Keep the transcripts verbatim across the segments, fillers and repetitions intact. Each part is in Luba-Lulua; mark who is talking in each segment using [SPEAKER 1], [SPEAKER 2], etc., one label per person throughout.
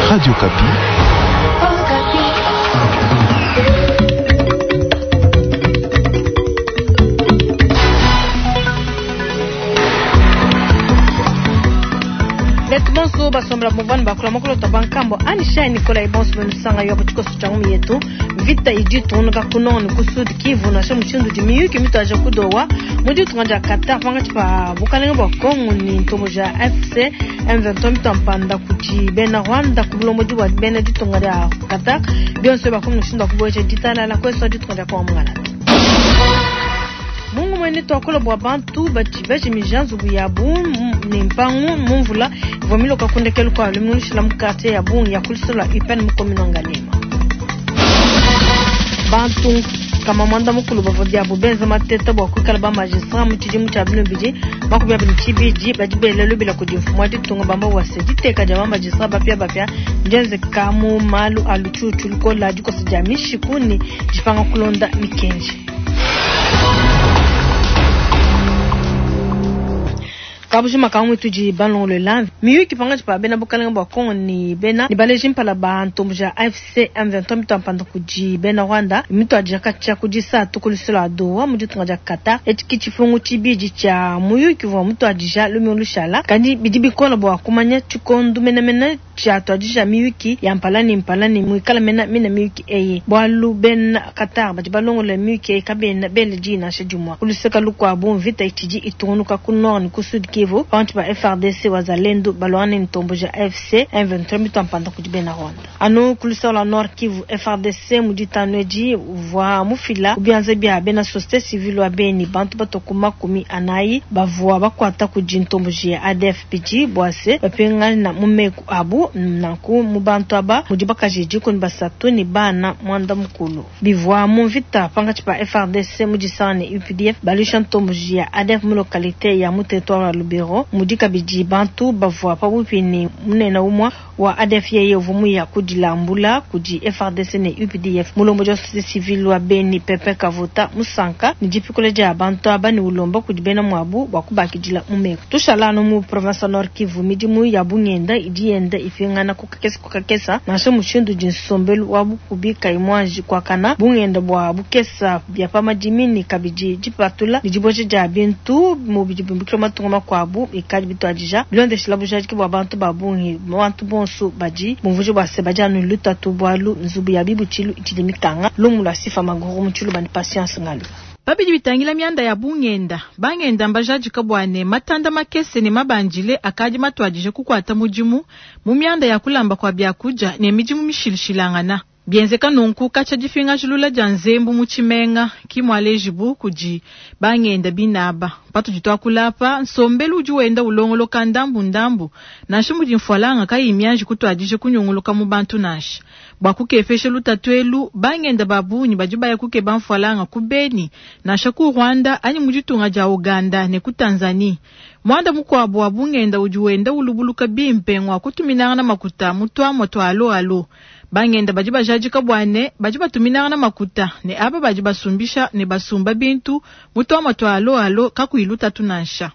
[SPEAKER 1] Radio Okapi.
[SPEAKER 2] Betu bonso basombela muvani bakula mokolo twa bankambo anisha Nicolas bonso benusanga yo butikoso tcha ngumi yetu vita idi tunuka kuno ni ku Sud Kivu na mushindu di miyuki mitwaje kudowa mudi tunga Qatar panga tshipa bukalenge bwa Kongo ni ntombo ja A F C M vingt-trois mitampanda kuti bena Rwanda ku bulombo bwa bena ditunga dia Qatar bionso bakomi mushindu wa kuboesha ditalala kweso ditunga dia Kongo mungala mungu mwene twakola bwa bantu bati bajimija nzubu yabu ni mpangu mumvula ivua miloka kundekelu kwa luminushila mu quartier ya bungi ya kulisolo U P N mu commune Ngaliema. Bantu kama mwanda mukulu bavua biabu benza mateta bwa kuikala ba magistrat mu tshidimu tshia bino bidi makumi abidi tshibidi badi bela lubila kudi mfumu wa ditunga bamba wase diteka dia ba magistrat bapia bapia ndienzeka mu malu a lutshutshu lukola dikosa dia mishiku ni dipanga kulonda mikenji. Kabujima kamwe tudi balongolola miyuki pangatshi pa bena bukalenge bwa Kongo ni bena ni baleji mpala ba ntombo ja A F C M vingt-trois mitampanda kudi bena Rwanda mitwadija katshia kudi satu kulusolo a Doha mu ditunga dia Qatar etshi tshifungu tshibidi tshia muyuki vua mutwadija lumingu lushala kandi bidi bikola bua kumanya tshikondu menemene tshiatwadija miyuki ya mpala ni mpala ni muikala mena mina miyuki eyi bualu bena Qatar badi balongola miyuki eyi kabena bele dina nansha dimua kuluseka lukuabu mvita itshidi itungunuka ku nord ni ku Sud Kivu pantu ba F A R D C wazalendo balwane ntombo ja A F C M vingt-trois mitampanda kudi bena Rwanda anu kuluseka la Nord Kivu F A R D C muditanu edi uvua mufila kubianza bia bena société civile wa Beni bantu batoku makumi anayi bavua bakwata kudi ntombo ya A D F bidi bwase bapingana mu meku abu nanku mu bantu aba mudi bakaji dikumi basatu ni bana mwanda mukulu bivua mu mvita pangatshi pa F A R D C mudisanga ne U P D F balusha ntombo ya A D F mu localité ya mu territoire ya Lubero mudi kabidi bantu bavua pabupi ni munene umwa wa A D F yeye uvua muya kudilambula kudi F A R D C ne U P D F mulombo dia société civile wa Beni Pepe Kavuta musanka ni dipikula dia bantu aba ni ulomba kudi bena muabu bua kubakidila mu meku tushala anu mu province Nord Kivu midimu ya bungenda idi yenda ipingana kukakesa kukakesa nansha mushindu di nsombelu wa bukubi kayi kuakana bungenda bua bukesa bia pa madimi ni kabidi dipatula ni diboja dia bintu mu bidi bimbukila matunga makuabu ikadi bituadija bilondeshela bujadiki bua bantu ba bungi bantu bonso badi bumvuji bua se badi anu lutatu bualu nzubu ya bibutshilu itshidi mikanga lumu lua sifa maguru mu tshiluba ni Patience Ngalu.
[SPEAKER 3] Babidi bitangila mianda ya bungenda bangenda mbajadika bwane matanda makese ne mabanjile akadi matwadije kukwata mudimu mu mianda ya kulamba kwa byakuja ne midimu mishilishilangana bienzeka nunku katsha dipingajilula dia nzembu mu tshimenga kimwalejibu kudi bangenda binaba patudi tuakulapa nsombelu udi wenda ulongoloka ndambu-ndambu nansha mudi mfualanga kayi mianji kutuadije kunyunguluka mu bantu nansha bua kukepesha lutatu elu bangenda babunyi badi baya kukeba mfualanga ku Beni nansha ku Rwanda anyi mu ditunga dia Uganda ne ku Tanzania. Mwanda mukuabu wa bungenda udi wenda ulubuluka bimpe ngwa kutuminangana makuta mu tuamua tua alo alo bangenda badi bajadika bwane badi batuminangana makuta ne aba badi basumbisha ne basumba bintu mu tuamua tua alo alo kakuyi lutatu nansha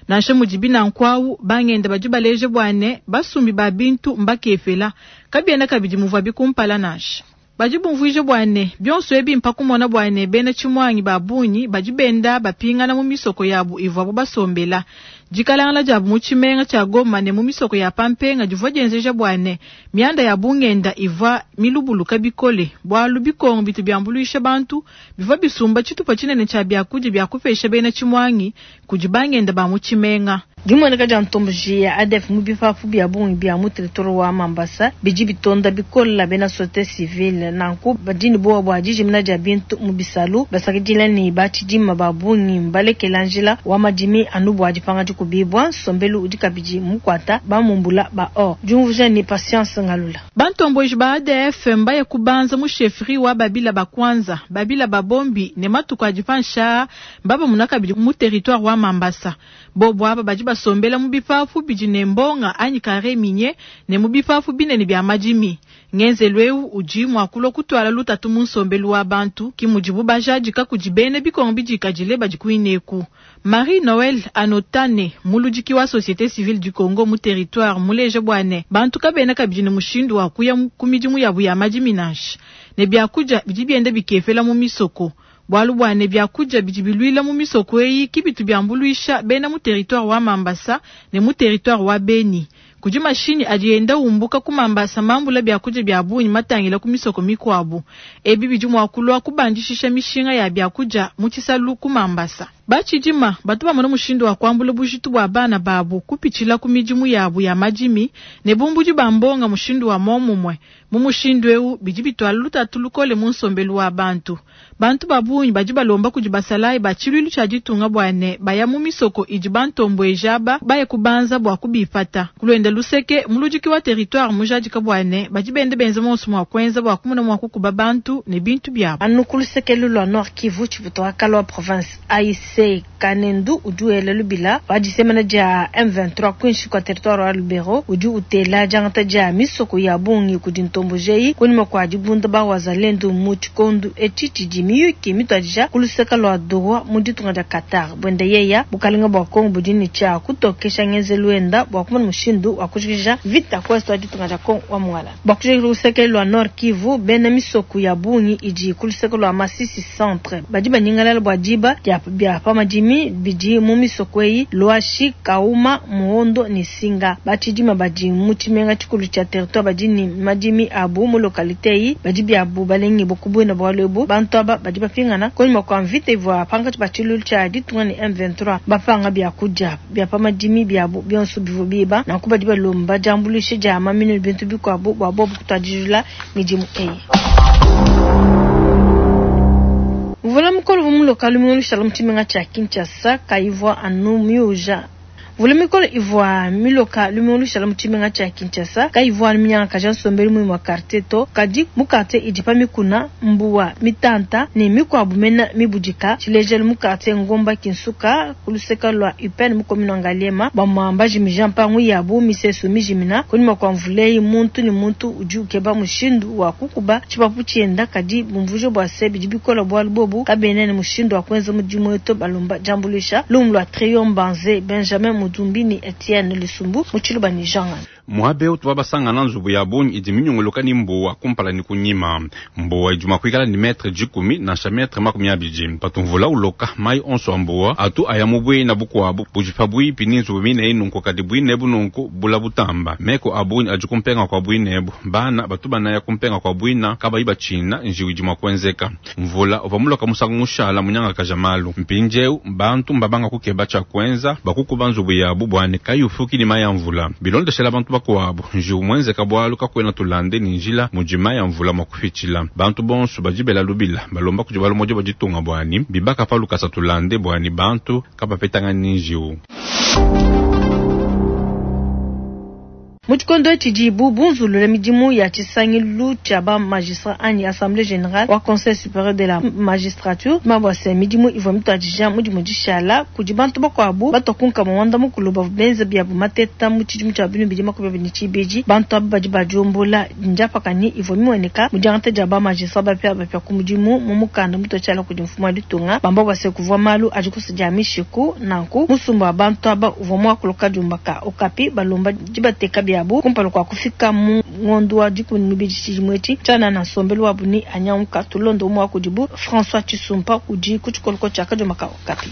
[SPEAKER 3] nansha mudibi nankuawu bangenda badi baleje bwane basumbi ba bintu mbakepela kabiena kabidi muvua bikumpala nansha badi bumvuije bwane bionso ebi mpakumona bwane bena tshimuangi ba bungi badi benda bapingana mu misoko yabu ivuabu basombela dikalangala diabu mu tshimenga tshia Goma ne mu misoko ya pampenga divua dienzeja bwane mianda ya bungenda ivua milubuluka bikole bualu bikongo bitu biambuluisha bantu bivua bisumba tshitupa tshinene tshia biakudia bia kupesha bena tshimuangi kudi bangenda ba mu tshimenga.
[SPEAKER 2] Dimueneka dia ntomboji ya A D F mu bipapu bia bungi bia mu territoire wa Mambasa bidi bitonda bikola bena société civile nanku badi ne buowa bua dijimina dia bintu mu bisalu basakidila ne batshidima ba bungi mbalekela njila wa madimi anu bua dipanga dikubibua nsombelu udi kabidi mukwata bamumbula ba or diumvuja ni Patience Ngalula.
[SPEAKER 3] Bantomboji ba A D F mbaya kubanza mu chefferie wa Babila bakwanza Babila babombi ne matuku adi pansha mbaba muna kabidi mu territoire wa Mambasa bobo aba badi basombela mu bipapu bidi ne mbonga anyi carré minier ne mu bipapu binene bia madimi. Ngenzelu eu udi mua kulua kutuala lutatu mu nsombelu wa bantu, ki mudibu bajadika kudi bena bikongo bidikadile badi kuineku. Marie Noël Anotane, muludiki wa Société Civile du Congo mu territoire muleja bua ne bantu kabena kabidi ne mushindu wa kuya ku midimu yabu ya madimi nansha, ne biakudia bidi bienda bikepela mu misoko. Bualu bua ne biakudia bidi biluila mu misoko eyi ki bitu biambuluisha bena mu territoire wa Mambasa ne mu territoire wa Beni. Kudi mashinyi adi enda umbuka ku Mambasa mambula biakudia bia bungi matangila ku misoko mikuabu. Ebi bidi mua kulua kubandishisha mishinga ya biakudia mu tshisalu ku Mambasa. Batshidima batu bamona mushindu wa kuambula bujitu bua bana babu kupitshila ku midimu yabu ya madimi ne bumbudi ba mbonga mushindu wa momumue. Mu mushindu eu bidi bituala lutatu lukole mu nsombelu wa bantu. Bantu ba bungi badi balomba kudi basalayi ba tshiluilu tshia ditunga bua ne baya mu misoko idi bantombueja aba baye kubanza bua kubipata. Kuluenda luseke muludiki wa territoire mujadika bua ne badi bende benze monso mua kuenza bua kumona mua kukuba bantu ne bintu biabu.
[SPEAKER 2] Anu ku luseke lua Nord Kivu tshiputo wa Kalwa province A I C Kanendu udi wela lubila wadisemena dia M vingt-trois kwinshi kwa territoire wa Lubero udi utela diangata dia misoko ya bungi kudi ntombojei kunyima kwa dibunda ba wazalendo mu tshikondu etshi tshidi miyuki mituadija ku luseke lua Doha mu ditunga dia Qatar. Bwenda yeya bukalenga bua Kongo budi ne tshia kutokesha ngenzelu wenda bua kumona mushindu wa kujikija vita ku est wa ditunga dia Kongo wa Mongala. Bua kujikija luseke lua Nord Kivu bena misoko ya bungi idi ku luseke lua Masisi centre badi banyingalala bua diba dia bia pamadimi bidi mu misoko eyi Lwashi, Kauma, Muhondo ne Singa. Batshidima badi mu tshimenga tshikulu tshia territoire badi ne madimi abu mu localité eyi badi biabu balengi bokubuena bualu ebu bantu aba badi bapingana kunyima kwa mvita ivua pankatshi pa tshiluilu tshia ditunga ne M vingt-trois bapanga biakudia bia pamadimi biabu bionso bivua biba nanku badi balomba diambuluisha dia maminu ne bintu bikuabu bua bobu kutuadijula midimu eyi. Mvula mukolo mu lokalu mu mu tshimenga tshia Kinshasa kayivua anu miuja. Mvula mikolo ivua miloka lumingu lushala mu tshimenga tshia Kinshasa kayivua anu minyangakaja nsombelu muima wa quartier to kadi mu quartier idi pa mikuna mbuwa mitanta ne mikuabu mena mibudika tshilejelu mu quartier Ngomba Kinsuka ku luseke lua U P N mu commune wa Ngaliema bamwamba jimija mpangu yabu misesu mijimina kunyima kwa mvula muntu ne muntu udi ukeba mushindu wa kukuba tshipapu tshienda kadi bumvuje bua se bidi bikola bualu bobu kabena ne mushindu wa kuenza mudimu wetu balomba diambuluisha lumu lua Trion Banze Benjamin Mudumbini Etienne Lusumbu muchiluba ni Jean
[SPEAKER 1] Muabe utu babasangana nzubu ya bungi idi minyongoloka ni mbuwa kumpala ni kunyima mbuwa idi mua kuikala ni metre dikumi nansha metre makumi abidi patumvula uloka mai onso a mbuwa atu aya mu bwina bukuabu budi pabuipi ni nzubu mine nunku kadi bwine ebu nunku bula butamba meko abungi adi kumpenga kwa bwine ebu bana batu banaya kumpenga kwa bwina kabayi batshina njiwu idi mua kuenzeka mvula uvua muloka musangu mushala munyangakaja malu mpindieu bantu mbabanga kukeba tshia kuenza bakukuba nzubu yabu bwane kayufuki ni mai ya mvula bilondeshela bantu bakuabu njiwu mwenzeka bwalu kakwena tulande ni njila mujima ya mvula mwa kufichila bantu bonso bajibela lubila balomba kudi balomojo bajitunga bwani bibaka palu kasa tulande bwani bantu kabapetanga ni njiwu.
[SPEAKER 2] Mu tshikondo tshidi bunzulula midimu ya tshisangilu tshia ba magistrat anyi assemblée générale wa conseil supérieur de la magistrature mabwase midimu ivua mituadija mudimu dishala kudi bantu bakuabu batokunka muwanda mukulu bavua benza biabu mateta mu tshidimu tshia binu bidi makumi abidi ne tshibidi bantu aba badi badiombola ndiapakanyi ivua mimueneka mu diangata dia ba magistrat bapia bapia ku mudimu mu mukanda mutuatshiala kudi mfumu wa ditunga bamba bwase kuvua malu adi kusudia mishiku nanku musumba wa bantu aba uvua muakuluka diumbaka okapi balomba dibateka biabu kumpala kwa kufika mu ngondo wa dikumi mibidi tshidimu etshi tshiana na nsombelu wa buni anyanguka tulondo umwe wa kudibu François Tshisumpa udi ku tshikoloko tshia kadiomaka okapi.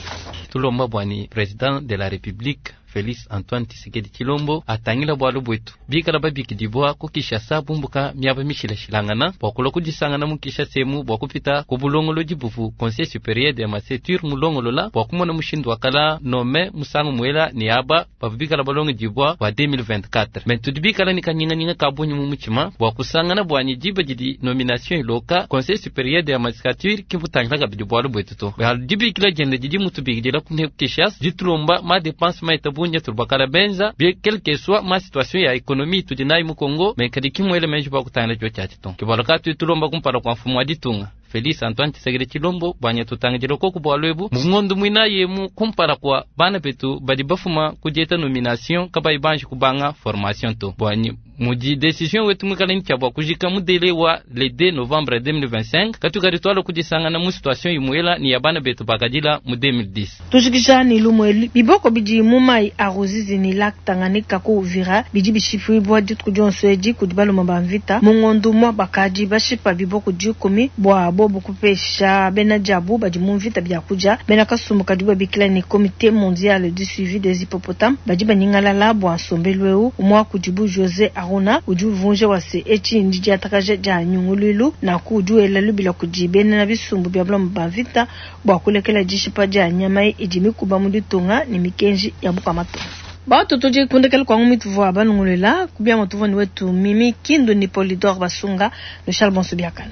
[SPEAKER 4] Tulomba bwani président de la République Félix Antoine Tshisekedi Tshilombo atangila bwalu bwetu bikala babikidibwa ku Kinshasa bumbuka miaba mishilashilangana bua kulua kudisangana mu Kinshasa emu bua kupita ku bulongolodi buvu Conseil supérieur de magistrature mulongolola bua kumona mushindu wa kala nome musangu muela ni aba bavua bikala balongedibwa bua deux mille vingt-quatre me tudi bikala ni kanyinganyinga ka bungi mu mutshima bua kusangana bwanyi diba didi nomination iloka Conseil supérieur de magistrature kimbutangila kabidi bwalu bwetu to dibikila diende didi mutubikidila ku Kinshasa ditulomba ma dépense maita bungi tulubakala benza bien quelle que soit ma situation ya économie tudi nayi mu Congo me kadi kimwele menji bua kutangila dio tshiatshi to kibalaka tudi tulomba kumpala kua mfumu wa ditunga Félix Antoine Tshisekedi Tshilombo bwanya tutangidila koku bwalu ebu mu ngondo mwina yemu kumpala kua bana betu badi bafuma kudieta nomination kabayi banji kubanga formation to bwanyi Mudi decision wetu mwikala ni bua kujika mu délai wa le deux novembre deux mille vingt-cinq, katukadi twala kudisangana mu situation imuela ni ya bana betu bakadila mu deux mille dix.
[SPEAKER 2] Tujikija ni lumwe biboko bidi mu mai a Ruzizi ni lac Tanganyika ku Uvira bidi bishipibwa dituku dionso edi kudi baluma ba mvita. Mu ngondu mwa bakadi bashipa biboko dikumi bua bobu kupesha bena diabu badi mu mvita biakudia. Bena kasumbu kadi babikila ni Comité mondial du suivi des hippopotames badi banyingalala bua nsombelu eu. Umwa kudibu, José Aruna, udi uvunja wase etshi ndi diatakaja dia nyunguluilu naku udi wela lubila kudi bena bisumbu bia bulama ba mvita bua kulekela dishipa dia nyama idi mikuba mu ditunga ne mikenji ya bukua-matunga. Batu tudi kundekela kwangu mituvua banungulela kubiama tuvua ni wetu Mimi Kindu ni Polidor Basunga no Charles Bonso biakana.